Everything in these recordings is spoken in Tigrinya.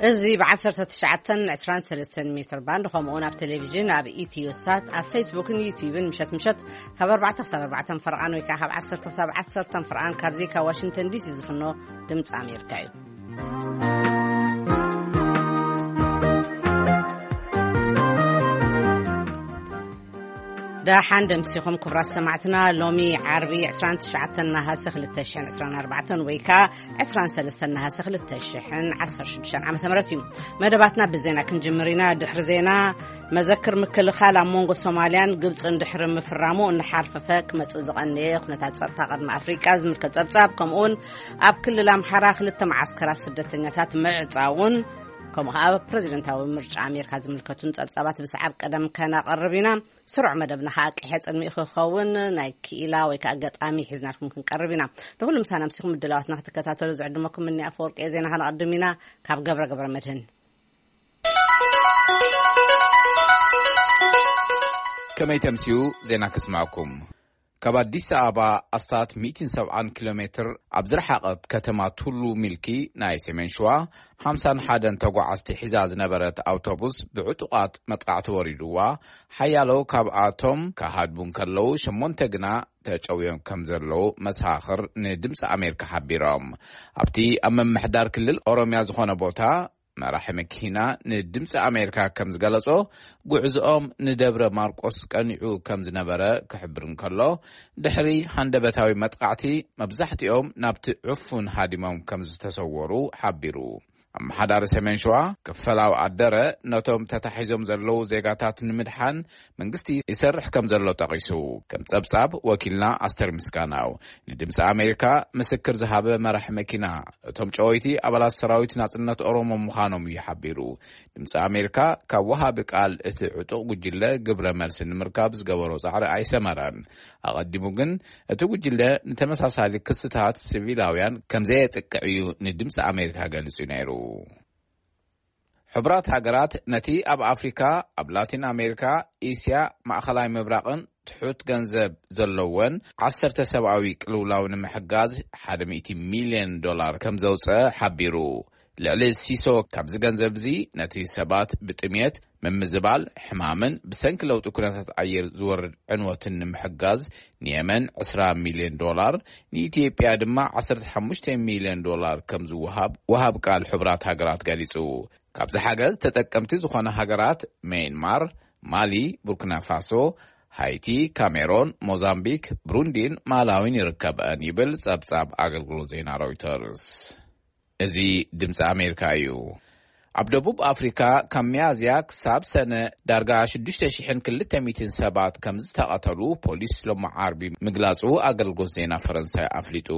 እዚ ብ19 23 ሜትር ባንድ፣ ከምኡ እውን ኣብ ቴሌቪዥን፣ ኣብ ኢትዮ ሳት፣ ኣብ ፌስቡክን ዩቲዩብን ምሸት ምሸት ካብ ኣርባዕተ ክሳብ ኣርባዕተ ፈርቓን ወይ ከዓ ካብ ዓሰርተ ክሳብ ዓሰርተ ፈርቓን ካብዚ ካብ ዋሽንግተን ዲሲ ዝፍኖ ድምፂ ኣሜሪካ እዩ። ደሓን ደምሲኹም ክቡራት ሰማዕትና። ሎሚ ዓርቢ 29 ነሃሰ 2024 ወይ ከዓ 23 ነሃሰ 2016 ዓ.ም እዩ። መደባትና ብዜና ክንጅምር ኢና። ድሕሪ ዜና፣ መዘክር ምክልኻል ኣብ መንጎ ሶማልያን ግብፅን ድሕሪ ምፍራሙ እናሓርፈፈ ክመፅእ ዝቐነየ ኩነታት ፀጥታ ቀርኒ ኣፍሪቃ ዝምልከት ፀብፃብ፣ ከምኡውን ኣብ ክልል ኣምሓራ ክልተ መዓስከራት ስደተኛታት ምዕፃውን፣ ከምኡ ከዓ ፕሬዚደንታዊ ምርጫ ኣሜሪካ ዝምልከቱን ፀብፃባት ብሰዓብ ቀደም ከነቕርብ ኢና። ስሩዕ መደብና ከዓ ቅሐ ፅልሚ ክኸውን ናይ ክኢላ ወይ ከዓ ገጣሚ ሒዝናልኩም ክንቀርብ ኢና። ንኩሉ ምሳና ምሲኹም ምድላዋትና ክትከታተሉ ዝዕድመኩም እኒ ኣፈወርቂ ዜና ከነቐድም ኢና። ካብ ገብረ ገብረ መድህን። ከመይ ተምስዩ ዜና ክስማዕኩም። ካብ ኣዲስ ኣበባ ኣስታት 170 ኪሎ ሜትር ኣብ ዝረሓቐት ከተማ ቱሉ ሚልኪ ናይ ሰሜን ሸዋ፣ 51 ተጓዓዝቲ ሒዛ ዝነበረት ኣውቶቡስ ብዕጡቓት መጥቃዕቲ ወሪድዋ፣ ሓያሎ ካብኣቶም ክሃድሙ እንከለዉ፣ ሸሞንተ ግና ተጨውዮም ከም ዘለዉ መሳኽር ንድምፂ ኣሜሪካ ሓቢሮም። ኣብቲ ኣብ ምምሕዳር ክልል ኦሮሚያ ዝኾነ ቦታ መራሒ መኪና ንድምፂ ኣሜሪካ ከም ዝገለጾ፣ ጉዕዝኦም ንደብረ ማርቆስ ቀኒዑ ከም ዝነበረ ክሕብር እንከሎ፣ ድሕሪ ሃንደበታዊ መጥቃዕቲ መብዛሕትኦም ናብቲ ዕፉን ሃዲሞም ከም ዝተሰወሩ ሓቢሩ። ኣመሓዳሪ ሰሜን ሸዋ ክፈላው ኣደረ፣ ነቶም ተታሒዞም ዘለዉ ዜጋታት ንምድሓን መንግስቲ ይሰርሕ ከም ዘሎ ጠቒሱ። ከም ጸብጻብ ወኪልና ኣስተር ምስጋናው፣ ንድምፂ ኣሜሪካ ምስክር ዝሃበ መራሒ መኪና፣ እቶም ጨወይቲ ኣባላት ሰራዊት ናጽነት ኦሮሞ ምዃኖም እዩ ሓቢሩ። ድምፂ ኣሜሪካ ካብ ወሃቢ ቃል እቲ ዕጡቕ ጉጅለ ግብረ መልሲ ንምርካብ ዝገበሮ ጻዕሪ ኣይሰመረን። ኣቐዲሙ ግን እቲ ጉጅለ ንተመሳሳሊ ክስታት ሲቪላውያን ከም ዘየጥቅዕ እዩ ንድምፂ ኣሜሪካ ገሊጹ ነይሩ። ሕቡራት ሃገራት ነቲ ኣብ ኣፍሪካ፣ ኣብ ላቲን ኣሜሪካ፣ እስያ፣ ማእኸላይ ምብራቕን ትሑት ገንዘብ ዘለወን ዓሰርተ ሰብኣዊ ቅልውላው ንምሕጋዝ ሓደ ሚእቲ ሚልዮን ዶላር ከም ዘውፀ ሓቢሩ። ልዕሊ ሲሶ ካብዚ ገንዘብ እዚ ነቲ ሰባት ብጥሜት፣ ምምዝባል፣ ሕማምን ብሰንኪ ለውጢ ኩነታት ኣየር ዝወርድ ዕንወትን ንምሕጋዝ ንየመን ዕስራ ሚልዮን ዶላር፣ ንኢትዮጵያ ድማ ዓሰርተ ሓሙሽተ ሚልዮን ዶላር ከም ዝወሃብ ወሃብ ቃል ሕቡራት ሃገራት ገሊጹ። ካብዚ ሓገዝ ተጠቀምቲ ዝኾነ ሃገራት ሜይንማር፣ ማሊ፣ ቡርኪና ፋሶ፣ ሃይቲ፣ ካሜሮን፣ ሞዛምቢክ፣ ብሩንዲን ማላዊን ይርከበን ይብል ጸብጻብ ኣገልግሎት ዜና ሮይተርስ። እዚ ድምፂ ኣሜሪካ እዩ። ኣብ ደቡብ ኣፍሪካ ካብ ሚያዝያ ክሳብ ሰነ ዳርጋ ሽዱሽተ ሽሕን ክልተ ሚእትን ሰባት ከም ዝተቐተሉ ፖሊስ ሎሚ ዓርቢ ምግላጹ ኣገልግሎት ዜና ፈረንሳይ ኣፍሊጡ።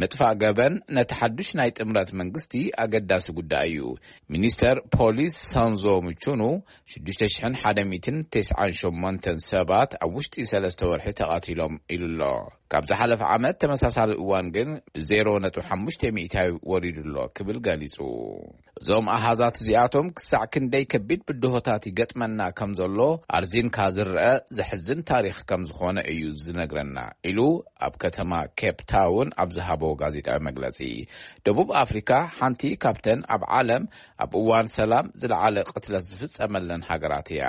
ምጥፋእ ገበን ነቲ ሓዱሽ ናይ ጥምረት መንግስቲ ኣገዳሲ ጉዳይ እዩ። ሚኒስተር ፖሊስ ሳንዞ ምቹኑ ሽዱሽተ ሽሕን ሓደ ሚእትን ተስዓን ሸሞንተን ሰባት ኣብ ውሽጢ ሰለስተ ወርሒ ተቐቲሎም ኢሉ ኣሎ። ካብ ዝሓለፈ ዓመት ተመሳሳሊ እዋን ግን ብ ዜሮ ነጥቢ ሓሙሽተ ሚእታዊ ወሪዱ ኣሎ ክብል ገሊጹ። እዞም ኣሃዛት እዚኣቶም ክሳዕ ክንደይ ከቢድ ብድሆታት ይገጥመና ከም ዘሎ ኣርዚንካ ዝረአ ዘሕዝን ታሪኽ ከም ዝኾነ እዩ ዝነግረና ኢሉ ኣብ ከተማ ኬፕ ታውን ኣብ ዝሃቦ ጋዜጣዊ መግለጺ። ደቡብ ኣፍሪካ ሓንቲ ካብተን ኣብ ዓለም ኣብ እዋን ሰላም ዝለዓለ ቅትለት ዝፍጸመለን ሃገራት እያ።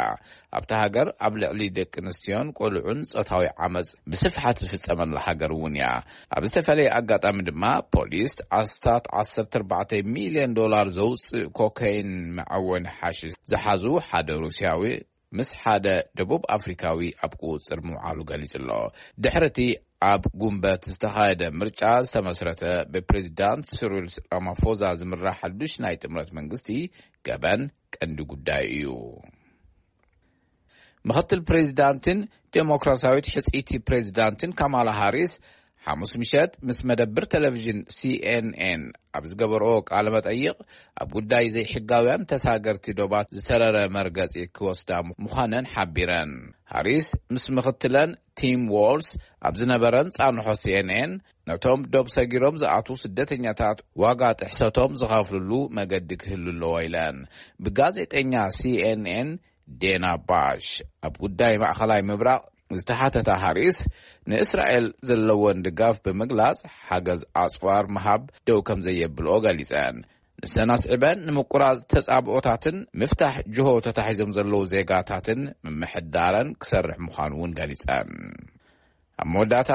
ኣብታ ሃገር ኣብ ልዕሊ ደቂ ኣንስትዮን ቆልዑን ጾታዊ ዓመጽ ብስፍሓት ዝፍጸመላ ሃገር እውን እያ። ኣብ ዝተፈላለየ ኣጋጣሚ ድማ ፖሊስ ኣስታት ዓሰርተ ኣርባዕተ ሚልዮን ዶላር ዘውፅእ ኮካይን መዐወኒ ሓሽሽ ዝሓዙ ሓደ ሩስያዊ ምስ ሓደ ደቡብ ኣፍሪካዊ ኣብ ቁፅፅር ምውዓሉ ገሊጹ ኣሎ። ድሕሪ እቲ ኣብ ጉንበት ዝተኻየደ ምርጫ ዝተመስረተ ብፕሬዚዳንት ሲሪል ራማፎዛ ዝምራሕ ሓዱሽ ናይ ጥምረት መንግስቲ ገበን ቀንዲ ጉዳይ እዩ። ምኽትል ፕሬዚዳንትን ዴሞክራሲያዊት ሕጽይቲ ፕሬዚዳንትን ካማላ ሃሪስ ሓሙስ ምሸት ምስ መደብር ቴሌቪዥን ሲኤንኤን ኣብ ዝገበርኦ ቃለ መጠይቕ፣ ኣብ ጉዳይ ዘይሕጋውያን ተሳገርቲ ዶባት ዝተረረ መርገጺ ክወስዳ ምዃነን ሓቢረን። ሃሪስ ምስ ምኽትለን ቲም ዎልስ ኣብ ዝነበረን ጻንሖ ሲኤንኤን፣ ነቶም ዶብ ሰጊሮም ዝኣትዉ ስደተኛታት ዋጋ ጥሕሰቶም ዝኸፍልሉ መገዲ ክህሉ ኣለዎ ኢለን። ብጋዜጠኛ ሲኤንኤን ዴና ባሽ ኣብ ጉዳይ ማእኸላይ ምብራቕ ዝተሓተታ ሃሪስ፣ ንእስራኤል ዘለወን ድጋፍ ብምግላጽ፣ ሓገዝ ኣጽዋር ምሃብ ደው ከም ዘየብልኦ ገሊጸን። እሰን ኣስዒበን ንምቁራጽ ተጻብኦታትን ምፍታሕ ጅሆ ተታሒዞም ዘለዉ ዜጋታትን ምምሕዳረን ክሰርሕ ምዃኑ እውን ገሊጸን። ኣብ መወዳእታ፣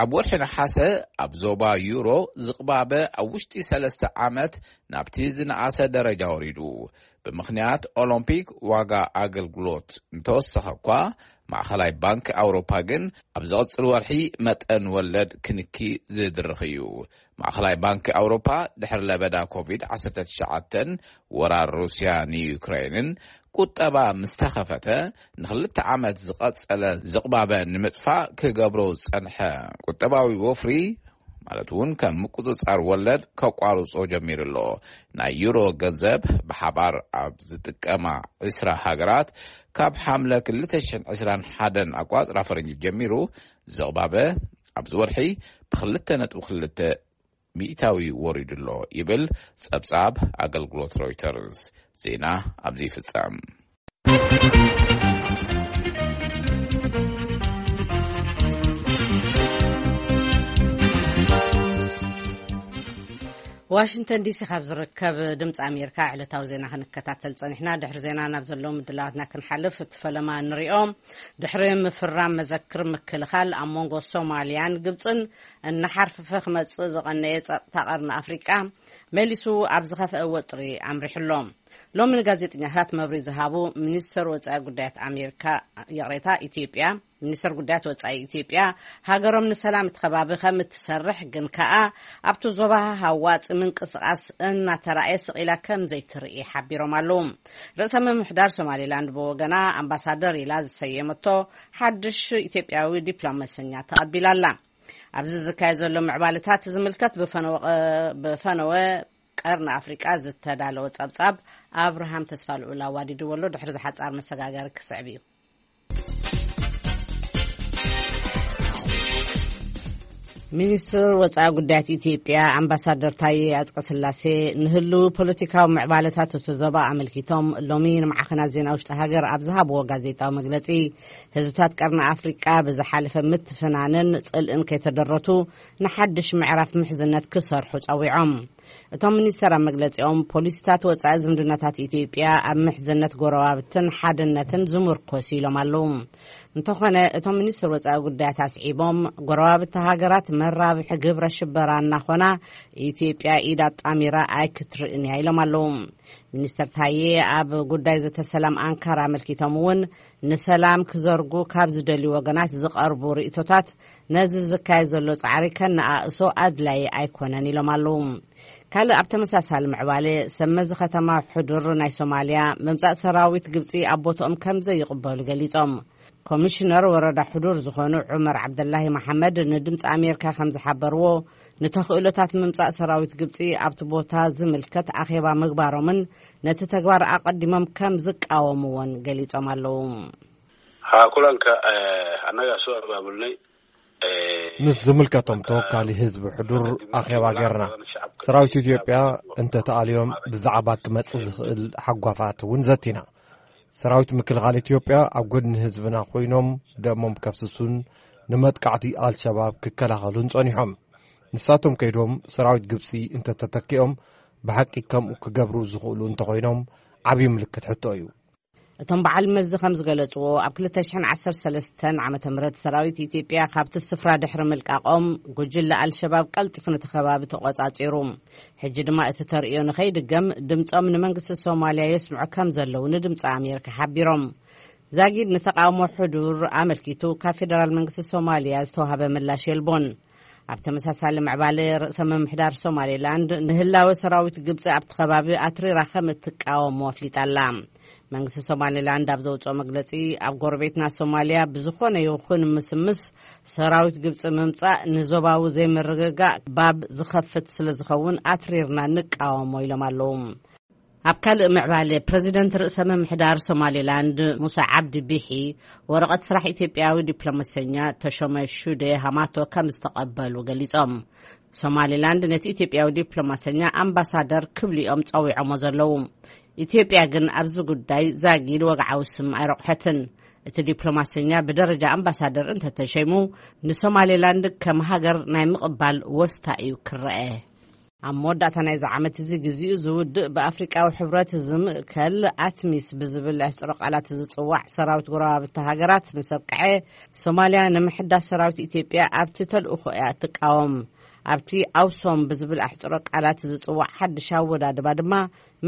ኣብ ወርሒ ነሓሰ ኣብ ዞባ ዩሮ ዝቕባበ ኣብ ውሽጢ ሰለስተ ዓመት ናብቲ ዝነኣሰ ደረጃ ወሪዱ። ብምኽንያት ኦሎምፒክ ዋጋ ኣገልግሎት እንተወሰኸ እኳ፣ ማእኸላይ ባንክ ኣውሮፓ ግን ኣብ ዝቕጽል ወርሒ መጠን ወለድ ክንኪ ዝድርኽ እዩ። ማእኸላይ ባንክ ኣውሮፓ ድሕሪ ለበዳ ኮቪድ ዓሰርተ ትሽዓተ፣ ወራር ሩስያ ንዩክሬንን ቁጠባ ምስ ተኸፈተ፣ ንኽልተ ዓመት ዝቐጸለ ዝቕባበ ንምጥፋእ ክገብሮ ዝጸንሐ ቁጠባዊ ወፍሪ፣ ማለት እውን ከም ምቁጽጻር ወለድ ከቋርጾ ጀሚሩ ኣሎ። ናይ ዩሮ ገንዘብ ብሓባር ኣብ ዝጥቀማ ዕስራ ሃገራት፣ ካብ ሓምለ ክልተ ሽሕን ዕስራን ሓደን ኣቋጽራ ፈረንጂ ጀሚሩ ዝቕባበ ኣብዚ ወርሒ ብክልተ ነጥቢ ክልተ ሚእታዊ ወሪዱ ኣሎ ይብል ጸብጻብ ኣገልግሎት ሮይተርስ። ዜና ኣብዚ ይፍጸም። ዋሽንግተን ዲሲ ካብ ዝርከብ ድምፂ ኣሜሪካ ዕለታዊ ዜና ክንከታተል ጸኒሕና። ድሕሪ ዜና ናብ ዘለዉ ምድላዋትና ክንሓልፍ፣ እቲ ፈለማ እንሪኦ፣ ድሕሪ ምፍራም መዘክር ምክልኻል ኣብ መንጎ ሶማልያን ግብፅን እናሓርፈፈ ክመፅእ ዝቐነየ ጸጥታ ቀርኒ ኣፍሪቃ መሊሱ ኣብ ዝኸፍአ ወጥሪ ኣምሪሑ ኣሎ። ሎሚ ንጋዜጠኛታት መብርሂ ዝሃቡ ሚኒስተር ወጻኢ ጉዳያት ኣሜሪካ፣ ይቕሬታ፣ ኢትዮጵያ፣ ሚኒስተር ጉዳያት ወጻኢ ኢትዮጵያ፣ ሃገሮም ንሰላም እቲ ከባቢ ከም እትሰርሕ ግን ከኣ ኣብቲ ዞባ ሃዋፂ ምንቅስቓስ እናተራእየ ስቕ ኢላ ከም ዘይትርኢ ሓቢሮም ኣለዉ። ርእሰ ምምሕዳር ሶማሌላንድ ብወገና ኣምባሳደር ኢላ ዝሰየመቶ ሓድሽ ኢትዮጵያዊ ዲፕሎማሰኛ ተቐቢላ ኣላ። ኣብዚ ዝካየድ ዘሎ ምዕባለታት ዝምልከት ብፈነወ፣ ብፈነወ ቀርኒ ኣፍሪቃ ዝተዳለወ ጸብጻብ ኣብርሃም ተስፋ ልዑል ኣዋዲድዎ ኣሎ። ድሕሪ ዝሓጻር መሰጋገሪ ክስዕብ እዩ። ሚኒስትር ወጻኢ ጉዳያት ኢትዮጵያ ኣምባሳደር ታዬ ኣጽቀስላሴ ንህልው ፖለቲካዊ ምዕባለታት እቲ ዞባ ኣመልኪቶም ሎሚ ንማዕኸናት ዜና ውሽጢ ሃገር ኣብ ዝሃብዎ ጋዜጣዊ መግለጺ፣ ህዝብታት ቀርኒ ኣፍሪቃ ብዝሓለፈ ምትፍናንን ጽልእን ከይተደረቱ ንሓድሽ ምዕራፍ ምሕዝነት ክሰርሑ ጸዊዖም። እቶም ሚኒስተር ኣብ መግለጺኦም፣ ፖሊሲታት ወጻኢ ዝምድናታት ኢትዮጵያ ኣብ ምሕዝነት ጎረባብትን ሓድነትን ዝምርኮስ ኢሎም ኣለዉ። እንተኾነ፣ እቶም ሚኒስትር ወጻኢ ጉዳያት ኣስዒቦም፣ ጎረባብቲ ሃገራት መራብሒ ግብረ ሽበራ እናኾና፣ ኢትዮጵያ ኢድ ኣጣሚራ ኣይክትርእን እያ ኢሎም ኣለዉ። ሚኒስተር ታዬ ኣብ ጉዳይ ዘተ ሰላም ኣንካራ ኣመልኪቶም እውን፣ ንሰላም ክዘርጉ ካብ ዝደልዩ ወገናት ዝቐርቡ ርእይቶታት ነዚ ዝካየድ ዘሎ ጻዕሪ ከነኣእሶ ኣድላዪ ኣይኮነን ኢሎም ኣለዉ። ካልእ ኣብ ተመሳሳሊ ምዕባለ፣ ሰብ መዚ ከተማ ሕዱር ናይ ሶማልያ ምምጻእ ሰራዊት ግብጺ ኣብ ቦትኦም ከም ዘይቕበሉ ገሊጾም። ኮሚሽነር ወረዳ ሕዱር ዝኾኑ ዑመር ዓብደላሂ መሓመድ ንድምፂ ኣሜሪካ ከም ዝሓበርዎ፣ ንተኽእሎታት ምምጻእ ሰራዊት ግብጺ ኣብቲ ቦታ ዝምልከት ኣኼባ ምግባሮምን ነቲ ተግባር ኣቐዲሞም ከም ዝቃወምዎን ገሊጾም ኣለዉ። Haa, kulanka, eh, annagaa soo abaabulnay. Eh, ምስ ዝምልከቶም ተወካሊ ህዝቢ ሕዱር ኣኼባ ጌርና። ሰራዊት ኢትዮጵያ እንተተኣልዮም ብዛዕባ ክመጽእ ዝኽእል ሓጓፋት እውን ዘቲና። ሰራዊት ምክልኻል ኢትዮጵያ ኣብ ጎድኒ ህዝብና ኮይኖም ደሞም ከፍስሱን ንመጥቃዕቲ ኣልሸባብ ክከላኸሉን ጸኒሖም። ንሳቶም ከይዶም ሰራዊት ግብጺ እንተተተኪኦም ብሓቂ ከምኡ ክገብሩ ዝኽእሉ እንተኾይኖም ዓብዪ ምልክት ሕቶ እዩ። እቶም በዓል መዚ ከም ዝገለጽዎ፣ ኣብ ክልተ ሽሕን ዓሰርተ ሰለስተን ዓመተ ምህረት ሰራዊት ኢትዮጵያ ካብቲ ስፍራ ድሕሪ ምልቃቖም፣ ጉጅለ ኣልሸባብ ቀልጢፉ ነቲ ከባቢ ተቖጻጺሩ። ሕጂ ድማ እቲ ተርእዮ ንኸይድገም ድምጾም ንመንግስቲ ሶማልያ የስምዑ ከም ዘለዉ ንድምጺ ኣሜሪካ ሓቢሮም። ዛጊድ ንተቓውሞ ሕዱር ኣመልኪቱ ካብ ፌደራል መንግስቲ ሶማልያ ዝተዋህበ ምላሽ የልቦን። ኣብ ተመሳሳሊ ምዕባለ፣ ርእሰ ምምሕዳር ሶማሌላንድ ንህላወ ሰራዊት ግብጺ ኣብቲ ከባቢ ኣትሪራ ከም እትቃወሞ ኣፍሊጣ ኣላ። መንግስቲ ሶማሌላንድ ኣብ ዘውጽኦ መግለጺ፣ ኣብ ጎረቤትና ሶማልያ ብዝኾነ ይኹን ምስምስ ሰራዊት ግብጺ ምምጻእ ንዞባዊ ዘይምርግጋእ ባብ ዝኸፍት ስለ ዝኸውን ኣትሪርና ንቃወሞ ኢሎም ኣለዉ። ኣብ ካልእ ምዕባለ፣ ፕረዚደንት ርእሰ ምምሕዳር ሶማሌላንድ ሙሳ ዓብዲ ቢሒ ወረቐት ስራሕ ኢትዮጵያዊ ዲፕሎማሰኛ ተሾመ ሹዴ ሃማቶ ከም ዝተቐበሉ ገሊጾም። ሶማሌላንድ ነቲ ኢትዮጵያዊ ዲፕሎማሰኛ ኣምባሳደር ክብሉ እዮም ጸዊዖሞ ዘለዉ። ኢትዮጵያ ግን ኣብዚ ጉዳይ ዛጊድ ወግዓዊ ስም ኣይረቑሐትን። እቲ ዲፕሎማሰኛ ብደረጃ ኣምባሳደር እንተተሸይሙ፣ ንሶማሌላንድ ከም ሃገር ናይ ምቕባል ወስታ እዩ ክረአ። ኣብ መወዳእታ ናይዚ ዓመት እዚ ግዚኡ ዝውድእ ብኣፍሪቃዊ ሕብረት ዝምእከል ኣትሚስ ብዝብል ኣሕጽሮ ቃላት ዝጽዋዕ ሰራዊት ጎረባብቲ ሃገራት ምስ ኣብቅዐ፣ ሶማልያ ንምሕዳስ ሰራዊት ኢትዮጵያ ኣብቲ ተልእኾ እያ እትቃወም። ኣብቲ ኣውሶም ብዝብል ኣሕጽሮ ቃላት ዝጽዋዕ ሓድሽ ኣወዳድባ ድማ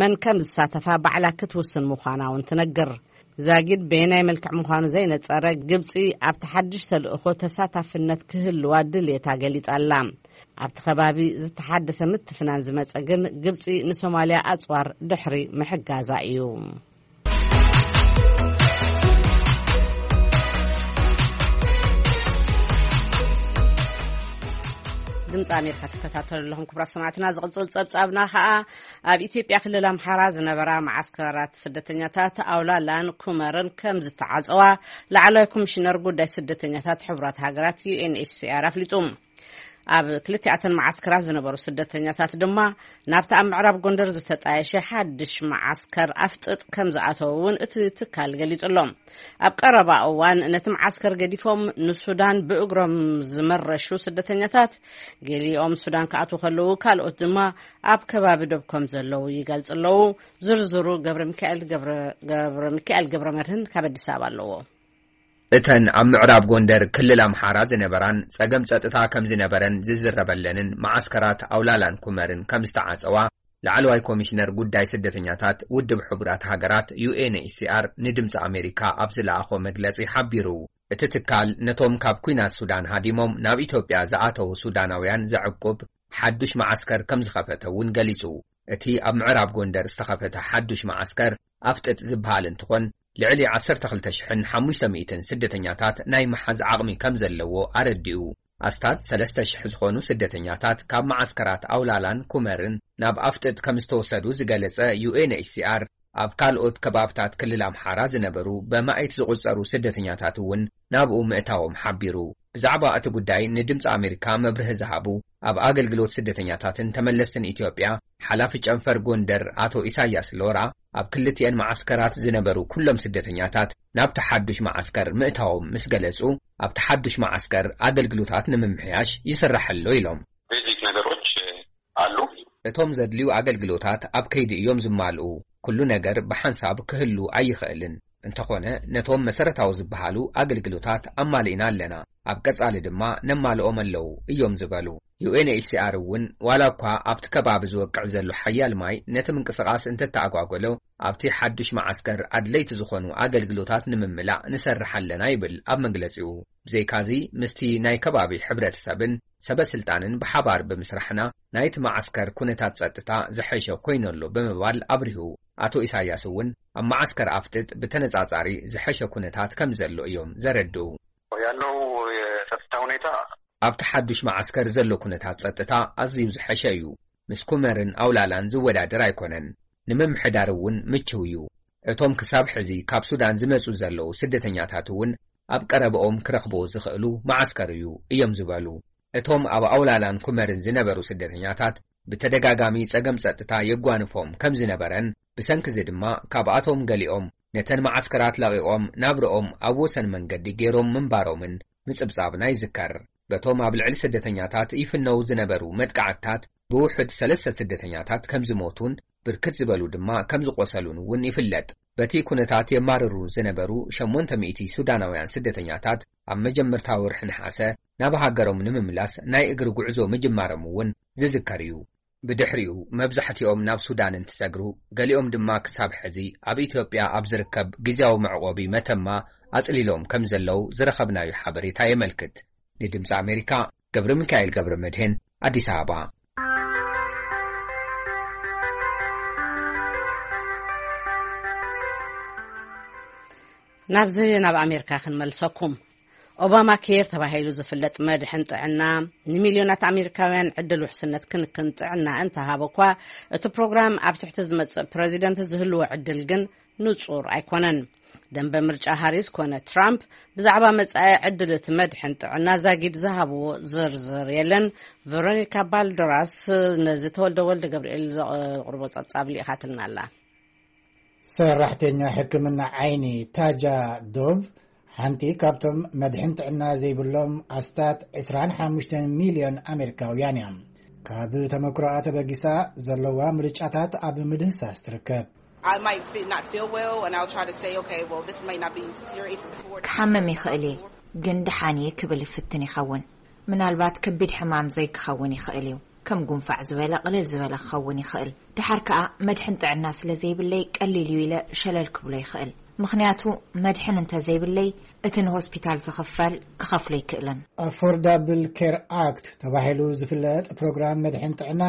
መን ከም ዝሳተፋ ባዕላ ክትውስን ምዃና እውን ትነግር። ዛጊድ በየናይ መልክዕ ምዃኑ ዘይነጸረ፣ ግብጺ ኣብቲ ሓድሽ ተልእኾ ተሳታፍነት ክህልዋ ድልየታ ገሊጻ ኣላ። ኣብቲ ከባቢ ዝተሓደሰ ምትፍናን ዝመጸ ግን፣ ግብጺ ንሶማልያ ኣጽዋር ድሕሪ ምሕጋዛ እዩ። ድምፂ ኣሜሪካ ትከታተሉ ኣለኹም ክቡራት ሰማዕትና። ዝቕፅል ፀብፃብና ከዓ ኣብ ኢትዮጵያ ክልል ኣምሓራ ዝነበራ መዓስከራት ስደተኛታት ኣውላላን ኩመርን ከም ዝተዓፀዋ ላዕለዋይ ኮሚሽነር ጉዳይ ስደተኛታት ሕቡራት ሃገራት ዩ ኤን ኤች ሲ ኣር ኣፍሊጡ። ኣብ ክልቲኣተን መዓስከራት ዝነበሩ ስደተኛታት ድማ ናብቲ ኣብ ምዕራብ ጎንደር ዝተጣየሸ ሓድሽ መዓስከር ኣፍጥጥ ከም ዝኣተዉ እውን እቲ ትካል ገሊጹ ኣሎ። ኣብ ቀረባ እዋን ነቲ መዓስከር ገዲፎም ንሱዳን ብእግሮም ዝመረሹ ስደተኛታት፣ ገሊኦም ሱዳን ክኣትዉ ከለዉ፣ ካልኦት ድማ ኣብ ከባቢ ዶብ ከም ዘለዉ ይገልጹ ኣለዉ። ዝርዝሩ ገብረ ሚካኤል ገብረ፣ ገብረ ሚካኤል ገብረ መድህን ካብ ኣዲስ ኣበባ ኣለዎ። እተን ኣብ ምዕራብ ጎንደር ክልል ኣምሓራ ዝነበራን ጸገም ጸጥታ ከም ዝነበረን ዝዝረበለንን መዓስከራት ኣውላላን ኩመርን ከም ዝተዓጸዋ ላዕለዋይ ኮሚሽነር ጉዳይ ስደተኛታት ውድብ ሕቡራት ሃገራት ዩ ኤን ኤች ሲ ኣር ንድምፂ ኣሜሪካ ኣብ ዝለኣኾ መግለጺ ሓቢሩ። እቲ ትካል ነቶም ካብ ኲናት ሱዳን ሃዲሞም ናብ ኢትዮጵያ ዝኣተዉ ሱዳናውያን ዘዕቁብ ሓዱሽ መዓስከር ከም ዝኸፈተ እውን ገሊጹ። እቲ ኣብ ምዕራብ ጎንደር ዝተኸፈተ ሓዱሽ መዓስከር ኣፍጥጥ ዝበሃል እንትኾን፣ ልዕሊ ዓሰርተ ክልተ ሽሕን ሓሙሽተ ሚእትን ስደተኛታት ናይ ምሓዝ ዓቕሚ ከም ዘለዎ ኣረዲኡ። ኣስታት ሰለስተ ሽሕ ዝኾኑ ስደተኛታት ካብ መዓስከራት ኣውላላን ኩመርን ናብ ኣፍጥጥ ከም ዝተወሰዱ ዝገለጸ ዩ ኤን ኤች ሲ ኣር፣ ኣብ ካልኦት ከባብታት ክልል ኣምሓራ ዝነበሩ በማኢት ዝቑጸሩ ስደተኛታት እውን ናብኡ ምእታዎም ሓቢሩ። ብዛዕባ እቲ ጉዳይ ንድምፂ ኣሜሪካ መብርሂ ዝሃቡ ኣብ ኣገልግሎት ስደተኛታትን ተመለስትን ኢትዮጵያ ሓላፊ ጨንፈር ጎንደር ኣቶ ኢሳያስ ሎራ፣ ኣብ ክልቲኤን መዓስከራት ዝነበሩ ኩሎም ስደተኛታት ናብቲ ሓዱሽ መዓስከር ምእታዎም ምስ ገለጹ፣ ኣብቲ ሓዱሽ መዓስከር ኣገልግሎታት ንምምሕያሽ ይስራሕ ኣሎ ኢሎም። ቤዚክ ነገሮች ኣሉ። እቶም ዘድልዩ ኣገልግሎታት ኣብ ከይዲ እዮም ዝማልኡ። ኩሉ ነገር ብሓንሳብ ክህሉ ኣይኽእልን። እንተኾነ፣ ነቶም መሰረታዊ ዝበሃሉ ኣገልግሎታት ኣማሊእና ኣለና። ኣብ ቀጻሊ ድማ ነማልኦም ኣለዉ እዮም ዝበሉ። ዩ ኤን ኤች ሲ ኣር እውን ዋላ እኳ ኣብቲ ከባቢ ዝወቅዕ ዘሎ ሓያል ማይ ነቲ ምንቅስቓስ እንተተኣጓጎሎ፣ ኣብቲ ሓዱሽ መዓስከር ኣድለይቲ ዝኾኑ ኣገልግሎታት ንምምላእ ንሰርሕ ኣለና ይብል ኣብ መግለጺኡ። ብዘይካዚ፣ ምስቲ ናይ ከባቢ ሕብረተሰብን ሰበ ስልጣንን ብሓባር ብምስራሕና ናይቲ መዓስከር ኩነታት ጸጥታ ዝሐሸ ኮይኑ ኣሎ ብምባል ኣብሪሁ። ኣቶ ኢሳያስ እውን ኣብ መዓስከር ኣፍጥጥ ብተነጻጻሪ ዝሐሸ ኩነታት ከም ዘሎ እዮም ዘረድኡ። ያለው የጸጥታ ሁኔታ ኣብቲ ሓዱሽ መዓስከር ዘሎ ኩነታት ጸጥታ ኣዝዩ ዝሐሸ እዩ። ምስ ኩመርን ኣውላላን ዝወዳደር ኣይኮነን። ንምምሕዳር እውን ምችው እዩ። እቶም ክሳብ ሕዚ ካብ ሱዳን ዝመጹ ዘለዉ ስደተኛታት እውን ኣብ ቀረባኦም ክረኽብዎ ዝኽእሉ መዓስከር እዩ እዮም ዝበሉ። እቶም ኣብ ኣውላላን ኩመርን ዝነበሩ ስደተኛታት ብተደጋጋሚ ጸገም ጸጥታ የጓንፎም ከም ዝነበረን፣ ብሰንኪ እዚ ድማ ካብኣቶም ገሊኦም ነተን መዓስከራት ለቒቖም ናብርኦም ኣብ ወሰን መንገዲ ገይሮም ምንባሮምን ምጽብጻብና ይዝከር። በቶም ኣብ ልዕሊ ስደተኛታት ይፍነዉ ዝነበሩ መጥቃዕትታት ብውሑድ ሰለስተ ስደተኛታት ከም ዝሞቱን ብርክት ዝበሉ ድማ ከም ዝቖሰሉን እውን ይፍለጥ። በቲ ኩነታት የማርሩ ዝነበሩ ሸሞንተ ሚእቲ ሱዳናውያን ስደተኛታት ኣብ መጀመርታ ወርሒ ነሓሰ ናብ ሃገሮም ንምምላስ ናይ እግሪ ጉዕዞ ምጅማሮም እውን ዝዝከር እዩ። ብድሕሪኡ መብዛሕትኦም ናብ ሱዳን እንትሰግሩ፣ ገሊኦም ድማ ክሳብ ሕዚ ኣብ ኢትዮጵያ ኣብ ዝርከብ ግዝያዊ መዕቆቢ መተማ ኣጽሊሎም ከም ዘለዉ ዝረኸብናዮ ሓበሬታ የመልክት። ንድምፂ ኣሜሪካ ገብረ ሚካኤል ገብረ መድህን፣ ኣዲስ ኣበባ። ናብዚ ናብ ኣሜሪካ ክንመልሰኩም። ኦባማ ኬር ተባሂሉ ዝፍለጥ መድሕን ጥዕና፣ ንሚልዮናት ኣሜሪካውያን ዕድል ውሕስነት ክንክን ጥዕና እንተሃበ እኳ፣ እቲ ፕሮግራም ኣብ ትሕቲ ዝመጽእ ፕረዚደንት ዝህልዎ ዕድል ግን ንጹር ኣይኮነን። ደንበ ምርጫ ሃሪስ ኮነ ትራምፕ ብዛዕባ መጻኢ ዕድል እቲ መድሕን ጥዕና ዛጊድ ዝሃብዎ ዝርዝር የለን። ቨሮኒካ ባልደራስ ነዚ ተወልደ ወልደ ገብርኤል ዘቕርቦ ጸብጻብ ልኢኻትልና ኣላ። ሰራሕተኛ ሕክምና ዓይኒ ታጃ ዶቭ ሓንቲ ካብቶም መድሕን ጥዕና ዘይብሎም ኣስታት ዕስራን ሓሙሽተን ሚልዮን ኣሜሪካውያን እያ። ካብ ተመክሮኣ ተበጊሳ ዘለዋ ምርጫታት ኣብ ምድህሳስ ትርከብ። I might fit, not feel well, and I'll try to say, okay, well, this might not be serious. Before ክሓምም ይኽእል እየ፣ ግን ደሓን እየ ክብል ይፍትን ይኸውን። ምናልባት ከቢድ ሕማም ዘይክኸውን ይኽእል እዩ። ከም ጉንፋዕ ዝበለ ቅልል ዝበለ ክኸውን ይኽእል። ድሓር ከኣ መድሕን ጥዕና ስለ ዘይብለይ ቀሊል እዩ ኢለ ሸለል ክብሎ ይኽእል። ምኽንያቱ መድሕን እንተ ዘይብለይ እቲ ንሆስፒታል ዝኽፈል ክኸፍሎ ኣይክእልን። ኣፎርዳብል ኬር ኣክት ተባሂሉ ዝፍለጥ ፕሮግራም መድሕን ጥዕና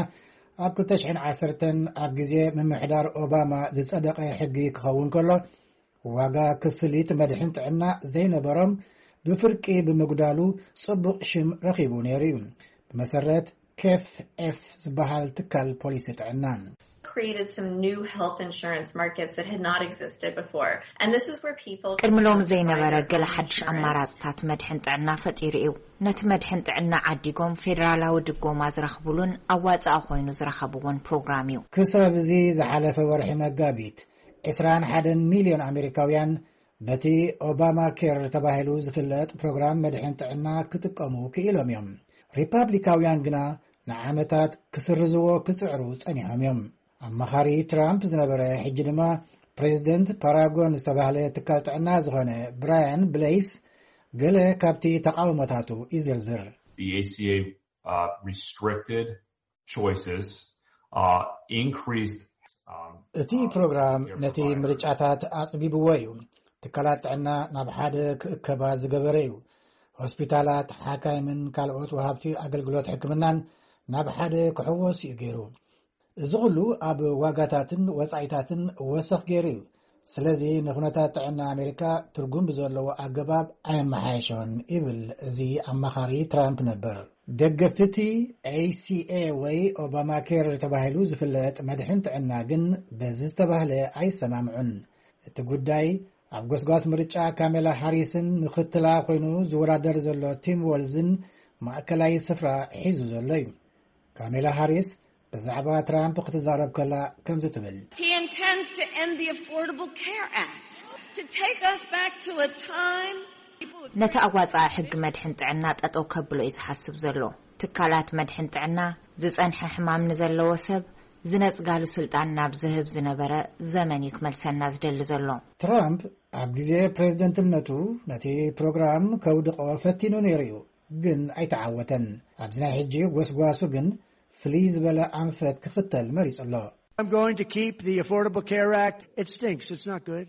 ኣብ ክልተ ሽሕን ዓሰርተን ኣብ ግዜ ምምሕዳር ኦባማ ዝጸደቐ ሕጊ ክኸውን ከሎ፣ ዋጋ ክፍሊት መድሕን ጥዕና ዘይነበሮም ብፍርቂ ብምጉዳሉ ጽቡቕ ሽም ረኺቡ ነይሩ እዩ። ብመሰረት ኬፍ ኤፍ ዝበሃል ትካል ፖሊሲ ጥዕና created some new health insurance markets that had not existed before. And this is where people ቅድሚ ሎሚ ዘይነበረ ገለ ሓድሽ ኣማራፅታት መድሕን ጥዕና ፈጢሩ እዩ። ነቲ መድሕን ጥዕና ዓዲጎም ፌዴራላዊ ድጎማ ዝረኽብሉን ኣዋፃኢ ኮይኑ ዝረኸብዎን ፕሮግራም እዩ። ክሳብ እዚ ዝሓለፈ ወርሒ መጋቢት ዕስራን ሓደን ሚልዮን ኣሜሪካውያን በቲ ኦባማ ኬር ተባሂሉ ዝፍለጥ ፕሮግራም መድሕን ጥዕና ክጥቀሙ ክኢሎም እዮም። ሪፓብሊካውያን ግና ንዓመታት ክስርዝዎ ክጽዕሩ ጸኒሖም እዮም። ኣማኻሪ ትራምፕ ዝነበረ ሕጂ ድማ ፕሬዚደንት ፓራጎን ዝተባህለ ትካል ጥዕና ዝኾነ ብራያን ብሌይስ ገለ ካብቲ ተቃውሞታቱ ይዝርዝር። The A C A uh, restricted choices, uh, increased. Um, እቲ ፕሮግራም ነቲ ምርጫታት ኣጽቢብዎ እዩ። ትካላት ጥዕና ናብ ሓደ ክእከባ ዝገበረ እዩ። ሆስፒታላት፣ ሓካይምን ካልኦት ወሃብቲ ኣገልግሎት ሕክምናን ናብ ሓደ ክሕወስ እዩ ገይሩ። እዚ ኩሉ ኣብ ዋጋታትን ወጻኢታትን ወሰኽ ገይሩ እዩ። ስለዚ ንኩነታት ጥዕና ኣሜሪካ ትርጉም ብዘለዎ ኣገባብ ኣየመሓየሾን ይብል እዚ ኣማኻሪ ትራምፕ ነበር። ደገፍቲ እቲ ኤሲኤ ወይ ኦባማ ኬር ተባሂሉ ዝፍለጥ መድሕን ጥዕና ግን በዚ ዝተባህለ ኣይሰማምዑን። እቲ ጉዳይ ኣብ ጎስጓስ ምርጫ ካሜላ ሃሪስን ምኽትላ ኮይኑ ዝወዳደር ዘሎ ቲም ወልዝን ማእከላይ ስፍራ ሒዙ ዘሎ እዩ። ካሜላ ሃሪስ ብዛዕባ ትራምፕ ክትዛረብ ከላ ከምዚ ትብል። He intends to end the Affordable Care Act to take us back to a time ነቲ ኣዋፃኣ ሕጊ መድሕን ጥዕና ጠጠው ከብሎ እዩ ዝሓስብ ዘሎ። ትካላት መድሕን ጥዕና ዝፀንሐ ሕማም ንዘለዎ ሰብ ዝነፅጋሉ ስልጣን ናብ ዝህብ ዝነበረ ዘመን እዩ ክመልሰና ዝደሊ ዘሎ። ትራምፕ ኣብ ግዜ ፕሬዝደንትነቱ ነቲ ፕሮግራም ከውድቆ ፈቲኑ ነይሩ እዩ፣ ግን ኣይተዓወተን። ኣብዚ ናይ ሕጂ ጎስጓሱ ግን ፍልይ ዝበለ ኣንፈት ክኽተል መሪጹ ኣሎ። I'm going to keep the Affordable Care Act. It stinks. It's not good.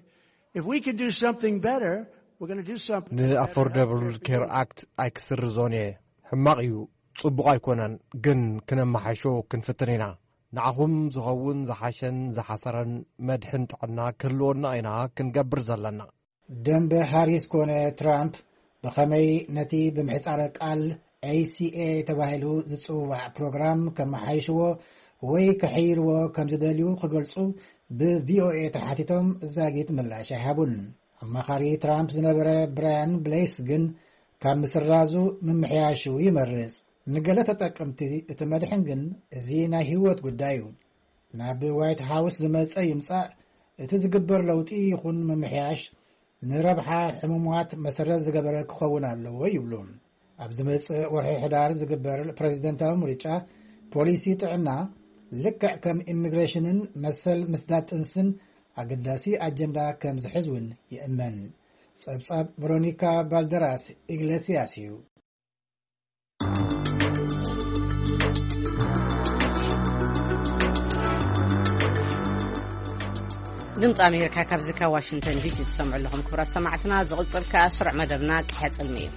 If we can do something better, we're going to do something. ንኣፎርደብል ኬር ኣክት ኣይክስርዞን እየ። ሕማቕ እዩ፣ ጽቡቕ ኣይኮነን፣ ግን ክነመሓይሾ ክንፍትን ኢና። ንዓኹም ዝኸውን ዝሓሸን ዝሓሰረን መድሕን ጥዕና ክህልወና ኢና ክንገብር ዘለና። ደንበ ሃሪስ ኮነ ትራምፕ ብኸመይ ነቲ ብምሕጻረ ቃል ኤሲኤ ተባሂሉ ዝጽዋዕ ፕሮግራም ከመሓይሽዎ ወይ ከሕይልዎ ከም ዝደልዩ ክገልጹ ብቪኦኤ ተሓቲቶም ዛጊት ምላሽ ኣይሃቡን። ኣማኻሪ ትራምፕ ዝነበረ ብራያን ብሌስ ግን ካብ ምስራዙ ምምሕያሹ ይመርጽ። ንገለ ተጠቀምቲ እቲ መድሕን ግን እዚ ናይ ህይወት ጉዳይ እዩ። ናብ ዋይት ሃውስ ዝመጸ ይምጻእ፣ እቲ ዝግበር ለውጢ ይኹን ምምሕያሽ ንረብሓ ሕሙማት መሰረት ዝገበረ ክኸውን ኣለዎ ይብሉ። ኣብ ዝመጽእ ወርሒ ሕዳር ዝግበር ፕሬዝደንታዊ ምርጫ ፖሊሲ ጥዕና ልክዕ ከም ኢሚግሬሽንን መሰል ምስዳድ ጥንስን ኣገዳሲ ኣጀንዳ ከም ዝሕዝ እውን ይእመን። ጸብጻብ ቨሮኒካ ባልደራስ ኢግሌሲያስ እዩ። ድምፂ ኣሜሪካ ካብዚ ካብ ዋሽንግተን ዲሲ ትሰምዑ ኣለኹም። ክቡራት ሰማዕትና፣ ዝቕጽል ከኣ ስሩዕ መደብና ቅሐ ጽልሚ እዩ።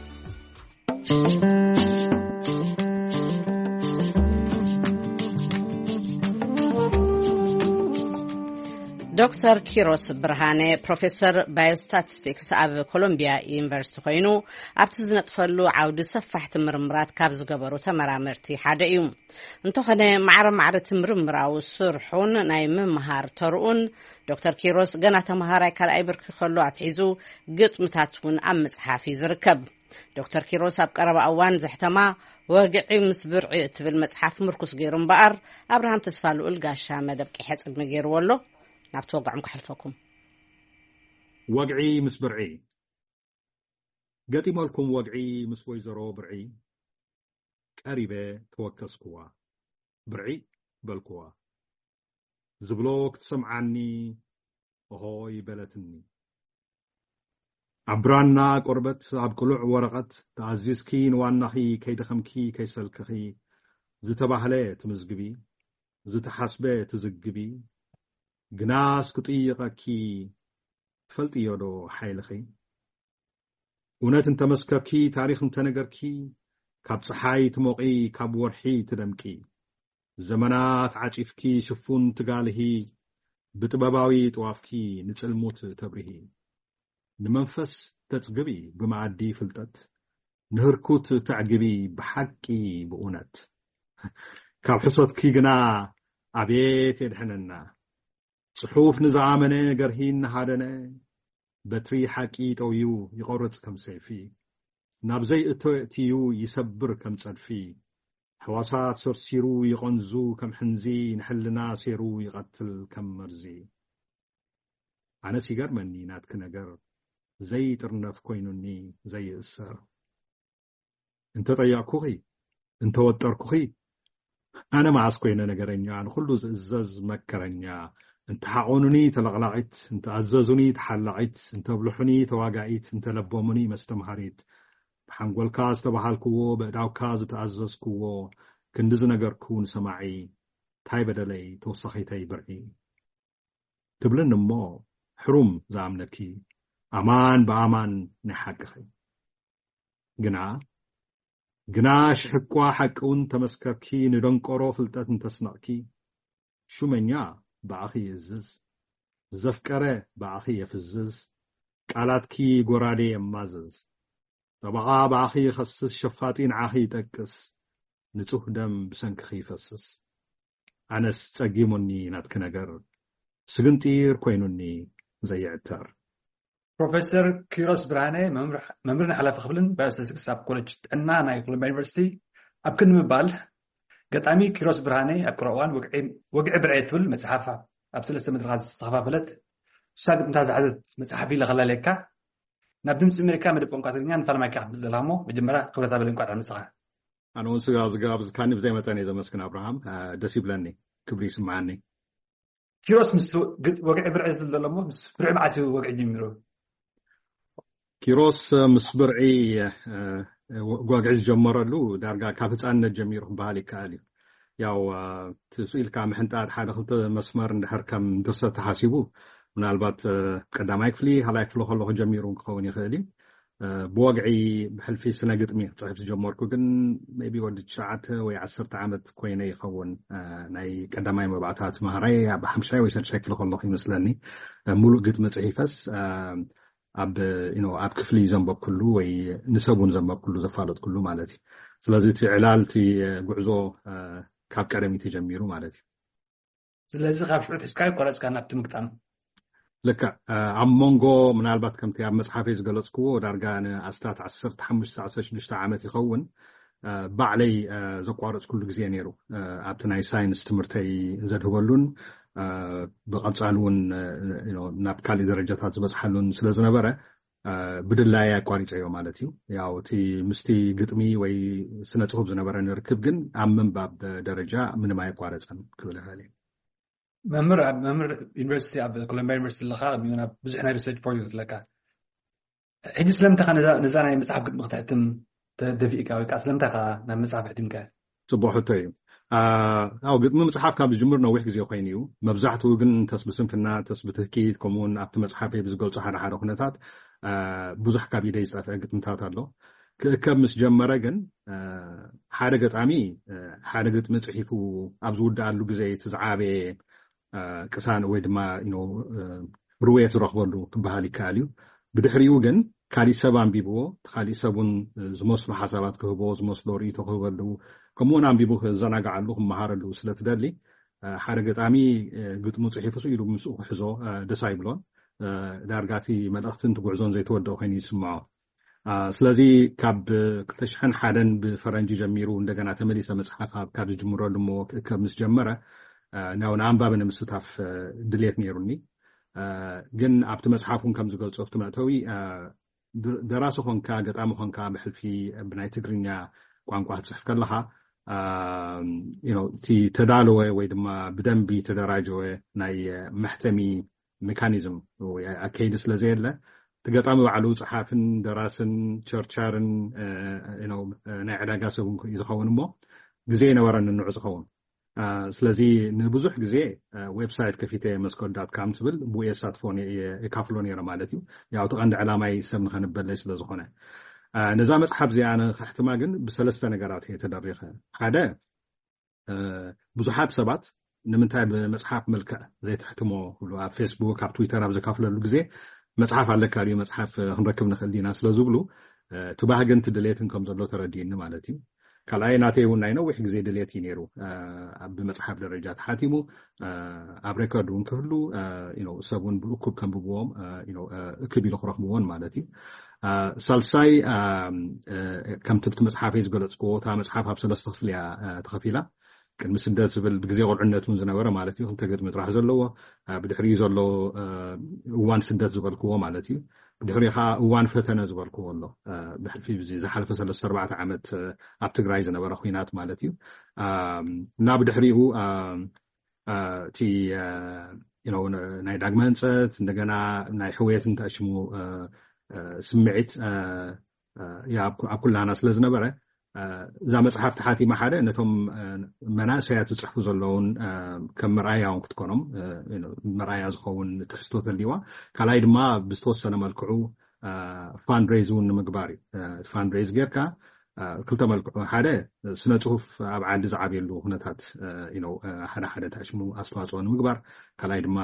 ዶክተር ኪሮስ ብርሃነ ፕሮፌሰር ባዮስታቲስቲክስ ኣብ ኮሎምቢያ ዩኒቨርሲቲ ኮይኑ ኣብቲ ዝነጥፈሉ ዓውዲ ሰፋሕቲ ምርምራት ካብ ዝገበሩ ተመራመርቲ ሓደ እዩ። እንተኾነ ማዕረ ማዕረ እቲ ምርምራዊ ስርሑን ናይ ምምሃር ተርኡን ዶክተር ኪሮስ ገና ተምሃራይ ካልኣይ ብርኪ ከሎ ኣትሒዙ ግጥምታት እውን ኣብ ምጽሓፍ እዩ ዝርከብ። ዶክተር ኪሮስ ኣብ ቀረባ እዋን ዘሕተማ ወግዒ ምስ ብርዒ እትብል መጽሓፍ ምርኩስ ገይሩ እምበኣር ኣብርሃም ተስፋ ልኡል ጋሻ መደብ ቅሐ ጽልሚ ገይርዎ ኣሎ። ናብቲ ወግዖም ከሕልፈኩም። ወግዒ ምስ ብርዒ። ገጢመልኩም ወግዒ ምስ ወይዘሮ ብርዒ ቀሪበ ተወከስኩዋ። ብርዒ በልኩዋ። ዝብሎ ክትሰምዓኒ ኦሆይ በለትኒ። ኣብ ብራና ቆርበት ኣብ ቅሉዕ ወረቐት ተኣዚዝኪ ንዋናኺ ከይደኸምኪ ከይሰልክኺ ዝተባህለ ትምዝግቢ፣ ዝተሓስበ ትዝግቢ፣ ግናስ ክጥይቐኪ ትፈልጥዮ ዶ ሓይልኺ? እውነት እንተመስከርኪ፣ ታሪኽ እንተነገርኪ፣ ካብ ጸሓይ ትሞቒ፣ ካብ ወርሒ ትደምቂ። ዘመናት ዓጺፍኪ ሽፉን ትጋልሂ፣ ብጥበባዊ ጥዋፍኪ ንጽልሙት ተብርሂ። ንመንፈስ ተጽግቢ ብመኣዲ ፍልጠት፣ ንህርኩት ተዕግቢ ብሓቂ ብእውነት። ካብ ሕሶትኪ ግና ኣቤት የድሕነና። ጽሑፍ ንዝኣመነ ገርሂ እናሃደነ፣ በትሪ ሓቂ ጠውዩ ይቖርጽ ከም ሰይፊ። ናብ ዘይእቶ የእትዩ ይሰብር ከም ጸድፊ። ሕዋሳት ሰርሲሩ ይቐንዙ ከም ሕንዚ፣ ንሕልና ሴሩ ይቐትል ከም መርዚ። ኣነስ ይገርመኒ ናትኪ ነገር፣ ዘይጥርነፍ ኮይኑኒ ዘይእሰር። እንተጠየቕኩኺ፣ እንተወጠርኩኺ፣ ኣነ መዓስ ኮይነ ነገረኛ፣ ንኹሉ ዝእዘዝ መከረኛ። እንተሓቖኑኒ ተለቕላቒት፣ እንተኣዘዙኒ ተሓላቒት፣ እንተብልሑኒ ተዋጋኢት፣ እንተለበሙኒ መስተምሃሪት። ብሓንጎልካ ዝተባሃልክዎ፣ በእዳውካ ዝተኣዘዝክዎ፣ ክንዲ ዝነገርኩ ንሰማዒ፣ ታይ በደለይ ተወሳኺተይ ብርዒ? ትብልኒ እሞ፣ ሕሩም ዝኣምነኪ፣ ኣማን ብኣማን ናይ ሓቅኺ። ግና፣ ግና ሽሕኳ ሓቂ እውን ተመስከርኪ፣ ንደንቆሮ ፍልጠት እንተስነቕኪ፣ ሹመኛ ብኣኺ ይእዝዝ፣ ዘፍቀረ ብኣኺ የፍዝዝ፣ ቃላትኪ ጎራዴ የማዝዝ። ጠበቓ ብኣኺ ይኸስስ፣ ሸፋጢ ንዓኺ ይጠቅስ፣ ንጹህ ደም ብሰንክኺ ይፈስስ። ኣነስ ጸጊሙኒ ናትኪ ነገር፣ ስግንጢር ኮይኑኒ ዘይዕተር። ፕሮፌሰር ኪሮስ ብርሃነ፣ መምህር፣ መምህርን ሓላፊ ክፍልን ባዮስታቲስቲክስ ኣብ ኮሌጅ ጥዕና ናይ ኮሎምቢያ ዩኒቨርሲቲ፣ ኣብ ክንዲ ምባል፣ ገጣሚ ኪሮስ ብርሃነ ኣብ ቀረባ እዋን ወግዒ፣ ወግዒ ብርዒ እትብል መጽሓፍ ኣብ ሰለስተ መድረኻት ዝተኸፋፈለት፣ ስሳ ግጥምታት ዝሓዘት መጽሓፍ ኢለ ከላለየካ፣ ናብ ድምፂ ኣሜሪካ መደብ ቋንቋ ትግርኛ ንፋልማይካ ክትምፅእ ዘለኻ እሞ፣ መጀመርያ ክብረት ኣበለ እንኳዕ ደሓን መጻኻ። ኣነ እውን ስጋ ዝጋብዝካኒ ብዘይ መጠን እየ ዘመስግን ኣብርሃም። እ፣ ደስ ይብለኒ፣ ክብሪ ይስምዓኒ። ኪሮስ ምስ ግጥ-፣ ወግዒ ብርዒ ዝብል ዘሎ እሞ፣ ምስ ብርዒ መዓስ እዩ ወግዒ ጀሚሩ? ኪሮስ፣ እ፣ ምስ ብርዒ፣ እ፣ ወ-፣ ወግዒ ዝጀመረሉ ዳርጋ ካብ ህፃንነት ጀሚሩ ክበሃል ይከኣል እዩ። ያው፣ እ፣ እቲ ስኢልካ ምሕንጣጥ ሓደ ክልተ መስመር እንድሕር ከም ድርሰት ተሓሲቡ፣ ምናልባት፣ እ፣ ቀዳማይ ክፍሊ፣ ካልኣይ ክፍሊ ከለኹ ጀሚሩ ክኸውን ይኽእል እዩ። እ፣ ብወግዒ ብሕልፊ ስነ ግጥሚ ክጽሕፍ ዝጀመርኩ ግን maybe ወዲ ትሽዓተ ወይ ዓሰርተ ዓመት ኮይነ ይኸውን። እ፣ ናይ ቀዳማይ መባእታ ትምሃራይ ኣብ ሓምሻይ ወይ ሻድሻይ ክፍሊ ከለኹ ይመስለኒ። እ፣ ሙሉእ ግጥሚ ጽሒፈስ፣ እ፣ ኣብ፣ you know፣ ኣብ ክፍሊ ዘንበብኩሉ ወይ ንሰብ እውን ዘንበብኩሉ ዘፋለጥኩሉ ማለት እዩ። ስለዚ እቲ ዕላል፣ እቲ፣ እ፣ ጉዕዞ፣ እ፣ ካብ ቀደም እዩ ተጀሚሩ ማለት እዩ። ስለዚ ካብ ሽዑ ሒዝካ ይቆረጽካ ናብቲ ምግጣም። ልክዕ፣ እ፣ ኣብ መንጎ ምናልባት ከምቲ ኣብ መጽሓፈይ ዝገለጽክዎ ዳርጋ ንኣስታት ዓሰርተ ሓሙሽተ ዓሰርተ ሽዱሽተ ዓመት ይኸውን፣ እ፣ ባዕለይ፣ እ፣ ዘቋረጽኩሉ ግዜ ነይሩ። እ፣ ኣብቲ ናይ ሳይንስ ትምህርተይ ዘድህበሉን፣ እ፣ ብቐጻሊ እውን፣ እ፣ you know፣ ናብ ካሊእ ደረጃታት ዝበጽሓሉን ስለ ዝነበረ፣ እ፣ ብድላይ ኣቋሪጸዮ ማለት እዩ። ያው እቲ ምስቲ ግጥሚ ወይ ስነ ጽሑፍ ዝነበረኒ ርክብ ግን ኣብ ምንባብ ደረጃ ምንም ኣየቋረጸን ክብል ይኽእል እየ። መምህር፣ ኣብ መምህር ዩኒቨርሲቲ፣ ኣብ ኮሎምቢያ ዩኒቨርሲቲ ኣለኻ፣ ከምኡ እውን ኣብ ብዙሕ ናይ ሪሰርች ፕሮጀክት ኣለካ። ሕጂ ስለምንታይ ኢኻ ነዛ፣ ነዛ ናይ መጽሓፍ ግጥሚ ክትሕትም ተደፊእካ ወይ ከዓ ስለምንታይ ኢኻ ናብ መጽሓፍ ኣሕቲምካያ? ጽቡቕ ሕቶ እዩ። አ፣ ያው ግጥሚ ምጽሓፍ ካብ ዝጅምር ነዊሕ ግዜ ኮይኑ እዩ። መብዛሕትኡ ግን እንተስ ብስንፍና፣ እንተስ ብትህኪት፣ ከምኡ እውን ኣብቲ መጽሓፈይ ብዝገልጾ ሓደ ሓደ ኩነታት፣ አ፣ ብዙሕ ካብ ኢደይ ዝጠፍአ ግጥምታት ኣሎ። ክእከብ ምስ ጀመረ ግን፣ አ፣ ሓደ ገጣሚ፣ አ፣ ሓደ ግጥሚ ጽሒፉ ኣብ ዝውድኣሉ ግዜ እቲ ዝዓበየ፣ አ፣ ቅሳን ወይ ድማ፣ you know፣ አ፣ ርውየት ዝረኽበሉ ክበሃል ይከኣል እዩ። ብድሕሪኡ ግን ካሊእ ሰብ ኣንቢብዎ፣ እቲ ካሊእ ሰብ እውን ዝመስሉ ሓሳባት ክህቦ፣ ዝመስሎ ርእይቶ ክህበሉ፣ ከምኡውን ኣንቢቡ ክዘናግዓሉ፣ ክመሃረሉ ስለ ትደሊ፣ አ፣ ሓደ ገጣሚ፣ አ፣ ግጥሙ ጽሒፉ ስኢሉ ምስኡ ክሕዞ፣ አ፣ ደስ ኣይብሎን። አ፣ ዳርጋ እቲ መልእኽትን እቲ ጉዕዞን ዘይተወደአ ኮይኑ ይስምዖ። አ፣ ስለዚ ካብ ክልተ ሽሕን ሓደን ብፈረንጂ ጀሚሩ እንደገና ተመሊሰ መጽሓፍ ኣብ፣ ካብ ዝጅምረሉ እሞ ክእከብ ምስ ጀመረ፣ አ፣ ናብ፣ ንኣንባቢ ንምስታፍ፣ አ፣ ድልየት ነይሩኒ። አ፣ ግን ኣብቲ መጽሓፍ እውን ከም ዝገልጾ ኣብቲ መእተዊ፣ አ፣ ድ-፣ ደራሲ ኾንካ፣ ገጣሚ ኾንካ፣ ብሕልፊ ብናይ ትግርኛ ቋንቋ ክትጽሕፍ ከለኻ፣ እቲ ተዳለወ ወይ ድማ ብደንቢ ተደራጀወ ናይ መሕተሚ ሜካኒዝም ኣከይዲ ስለ ዘየለ፣ እቲ ገጣሚ ባዕሉ ጸሓፍን ደራስን ቸርቻርን ናይ ዕዳጋ ሰብ እዩ ዝኸውን እሞ፣ ግዜ ይነበረን ንዑ ዝኸውን። ስለዚ ንብዙሕ ግዜ ዌብሳይት ከፊተ መስኮት ዳት ካም ትብል ብኡ የሳትፎ የካፍሎ ነረ ማለት እዩ። ያው እቲ ቀንዲ ዕላማይ ሰብ ንኸንበለይ ስለ ዝኾነ፣ ነዛ መጽሓፍ እዚኣ ንኸሕትማ ግን ብሰለስተ ነገራት እየ ተደሪኸ። ሓደ፣ ብዙሓት ሰባት ንምንታይ ብመጽሓፍ መልክዕ ዘይትሕትሞ ክብሉ ኣብ ፌስቡክ፣ ኣብ ትዊተር ኣብ ዘካፍለሉ ግዜ፣ መጽሓፍ ኣለካ ድዩ፣ መጽሓፍ ክንረክብ ንኽእል ዲና ስለ ዝብሉ፣ እቲ ባህግን እቲ ድሌትን ከም ዘሎ ተረዲእኒ ማለት እዩ። ካልኣይ፣ ናተይ እውን ናይ ነዊሕ ግዜ ድሌት እዩ ነይሩ። ብመጽሓፍ ደረጃ ተሓቲሙ ኣብ ሬኮርድ እውን ክህሉ፣ ሰብ እውን ብእኩብ ከንብብዎም፣ እክብ ኢሉ ክረኽብዎን ማለት እዩ። ሳልሳይ፣ ከምቲ ብቲ መጽሓፈይ ዝገለጽክዎ፣ እታ መጽሓፍ ኣብ ሰለስተ ክፍሊ እያ ተኸፊላ። ቅድሚ ስደት ዝብል ብግዜ ቁልዕነት እውን ዝነበረ ማለት እዩ፣ ክልተ ግጥሚ ጥራሕ ዘለዎ፣ ብድሕሪኡ ዘሎ እዋን ስደት ዝበልክዎ ማለት እዩ። ብድሕሪኡ ከዓ እዋን ፈተነ ዝበልክዎ ኣሎ። ብሕልፊ ዝሓለፈ ሰለስተ ኣርባዕተ ዓመት ኣብ ትግራይ ዝነበረ ኩናት ማለት እዩ። እና ብድሕሪኡ እቲ ናይ ዳግመ ህንፀት፣ እንደገና ናይ ሕውየትን ተኣሽሙ ስምዒት ኣብ ኩላና ስለ ዝነበረ፣ እዛ መጽሓፍ ተሓቲማ ሓደ ነቶም መናእሰያት ዝጽሕፉ ዘለውን ከም መርኣያ እውን ክትኮኖም፣ መርኣያ ዝኸውን ትሕዝቶ ተልዋ። ካልኣይ ድማ ብዝተወሰነ መልክዑ ፋንድሬዝ እውን ንምግባር እዩ። ፋንድሬዝ ጌርካ ክልተ መልክዑ፣ ሓደ ስነ ጽሁፍ ኣብ ዓዲ ዝዓብየሉ ኩነታት ሓደ ሓደ ተሽሙ ኣስተዋፅኦ ንምግባር፣ ካልኣይ ድማ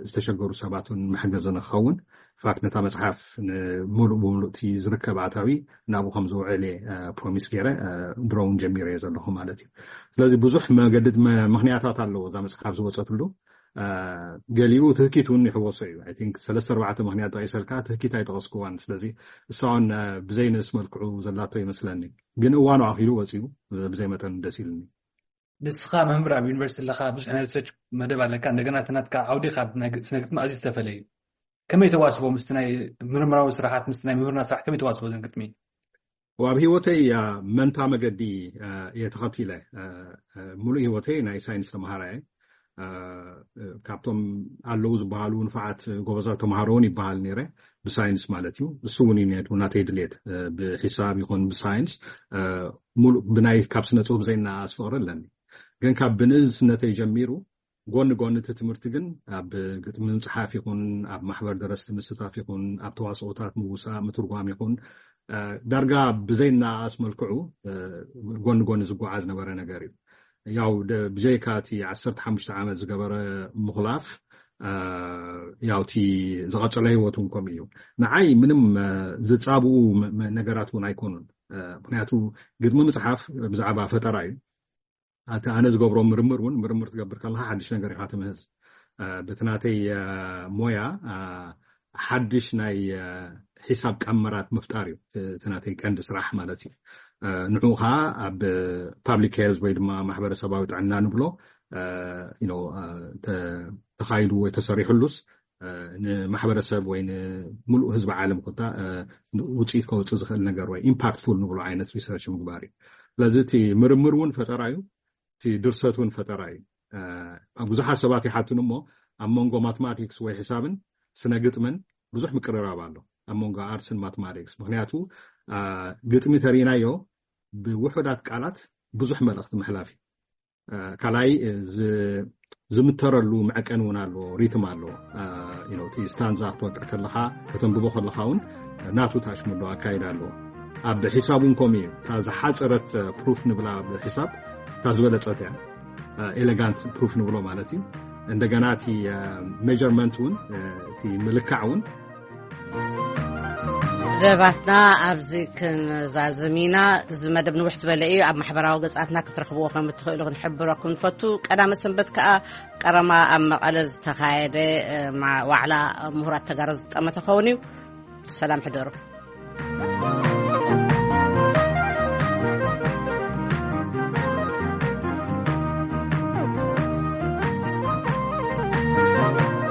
ዝተሸገሩ ሰባትን መሕገዚ ንክኸውን ፋክት ነታ መጽሓፍ ንምሉእ ብምሉእ እቲ ዝርከብ ኣታዊ ናብኡ ከም ዝውዕል እየ ፕሮሚስ ገይረ፣ ድሮ እውን ጀሚረ እየ ዘለኹ ማለት እዩ። ስለዚ ብዙሕ መገዲ ምክንያታት ኣለዎ እዛ መጽሓፍ ዝወፀትሉ። ገሊኡ ትህኪት እውን ይሕወሶ እዩ። I think ሰለስተ ኣርባዕተ ምክንያት ጠቂሰልካ ትህኪት ኣይጠቀስክዋን። ስለዚ እሳውን ብዘይንእስ መልክዑ ዘላቶ ይመስለኒ፣ ግን እዋኑ ኣኪሉ ወፂኡ ብዘይ መጠን ደስ ኢሉኒ። ንስኻ መምህር ኣብ ዩኒቨርሲቲ ኣለኻ፣ ብዙሕ ናይ ሪሰርች መደብ ኣለካ። እንደገና እቲ ናትካ ዓውዲ ካብ ናይ ስነ ግጥሚ ኣዝዩ ዝተፈለየ እዩ። ከመይ ተዋስቦ ምስቲ ናይ ምርምራዊ ስራሓት፣ ምስቲ ናይ ምሁርና ስራሕ ከመይ ተዋስቦ ዘን ግጥሚ? ኣብ ህይወተይ መንታ መገዲ እየ ተኸቲለ። ሙሉእ ህይወተይ ናይ ሳይንስ ተምሃራ እየ። ካብቶም ኣለዉ ዝበሃሉ ንፋዓት ጎበዛት ተምሃሮ እውን ይበሃል ነይረ፣ ብሳይንስ ማለት እዩ። እሱ እውን እዩ ነይሩ ናተይ ድሌት፣ ብሒሳብ ይኹን ብሳይንስ። ሙሉእ ብናይ ካብ ስነ ጽሁፍ ዘይናኣስ ፍቕሪ ኣለኒ። ግን ካብ ብንእስነተይ ጀሚሩ ጎኒ ጎኒ እቲ ትምህርቲ ግን ኣብ ግጥሚ ምጽሓፍ ይኹን ኣብ ማሕበር ደረስቲ ምስታፍ ይኹን ኣብ ተዋስኦታት ምውሳእ ምትርጓም ይኹን ዳርጋ ብዘይናኣስ መልክዑ ጎኒ ጎኒ ዝጓዓዝ ነበረ ነገር እዩ። ያው ብጀይካ እቲ ዓሰርተ ሓሙሽተ ዓመት ዝገበረ ምኹላፍ፣ ያው እቲ ዝቐጸለ ህይወት እውን ከምኡ እዩ። ንዓይ ምንም ዝጻብኡ ነገራት እውን ኣይኮኑን። ምክንያቱ ግጥሚ ምጽሓፍ ብዛዕባ ፈጠራ እዩ። እቲ ኣነ ዝገብሮ ምርምር እውን፣ ምርምር ትገብር ከለካ ሓድሽ ነገር ኢካ ትምህዝ። ብቲ ናተይ ሞያ ሓድሽ ናይ ሒሳብ ቀመራት ምፍጣር እዩ እቲ ናተይ ቀንዲ ስራሕ ማለት እዩ። ንዑ ከዓ ኣብ ፓብሊክ ሄልዝ ወይ ድማ ማሕበረሰባዊ ጥዕና ንብሎ ተኻይዱ ወይ ተሰሪሕሉስ ንማሕበረሰብ ወይ ንምሉእ ህዝቢ ዓለም ኮታ ውፅኢት ከውፅእ ዝኽእል ነገር ወይ ኢምፓክትፉል ንብሎ ዓይነት ሪሰርች ምግባር እዩ። ስለዚ እቲ ምርምር እውን ፈጠራ እዩ፣ እቲ ድርሰት እውን ፈጠራ እዩ። ብዙሓት ሰባት ይሓትኑ እሞ ኣብ መንጎ ማትማቲክስ ወይ ሕሳብን ስነ ግጥምን ብዙሕ ምቅርራብ ኣሎ ኣብ መንጎ ኣርትስን ማትማቲክስ። ምክንያቱ ግጥሚ ተሪናዮ ብውሑዳት ቃላት ብዙሕ መልእኽቲ ምሕላፍ እዩ። ካልኣይ ዝምተረሉ መዐቀን እውን ኣለዎ፣ ሪትም ኣለዎ። እቲ ስታንዛ ክትወቅዕ ከለካ ከተንብቦ ከለካ እውን ናቱ ታሽሙዶ ኣካይዳ ኣለዎ። ኣብ ሒሳብ እውን ከምኡ እዩ። እታ ዝሓፀረት ፕሩፍ ንብላ ኣብ ሒሳብ እታ ዝበለፀት እያ፣ ኤሌጋንት ፕሩፍ ንብሎ ማለት እዩ። እንደገና እቲ ሜጀርመንት እውን፣ እቲ ምልካዕ እውን ደባትና ኣብዚ ክንዛዝም ኢና። እዚ መደብ ንውሕ ዝበለ እዩ። ኣብ ማሕበራዊ ገጻትና ክትረኽብዎ ከም እትኽእሉ ክንሕብረኩም ንፈቱ። ቀዳመ ሰንበት ከኣ ቀረማ ኣብ መቐለ ዝተኻየደ ዋዕላ ምሁራት ተጋሩ ዝጠመተ ኸውን እዩ። ሰላም ሕደሩ።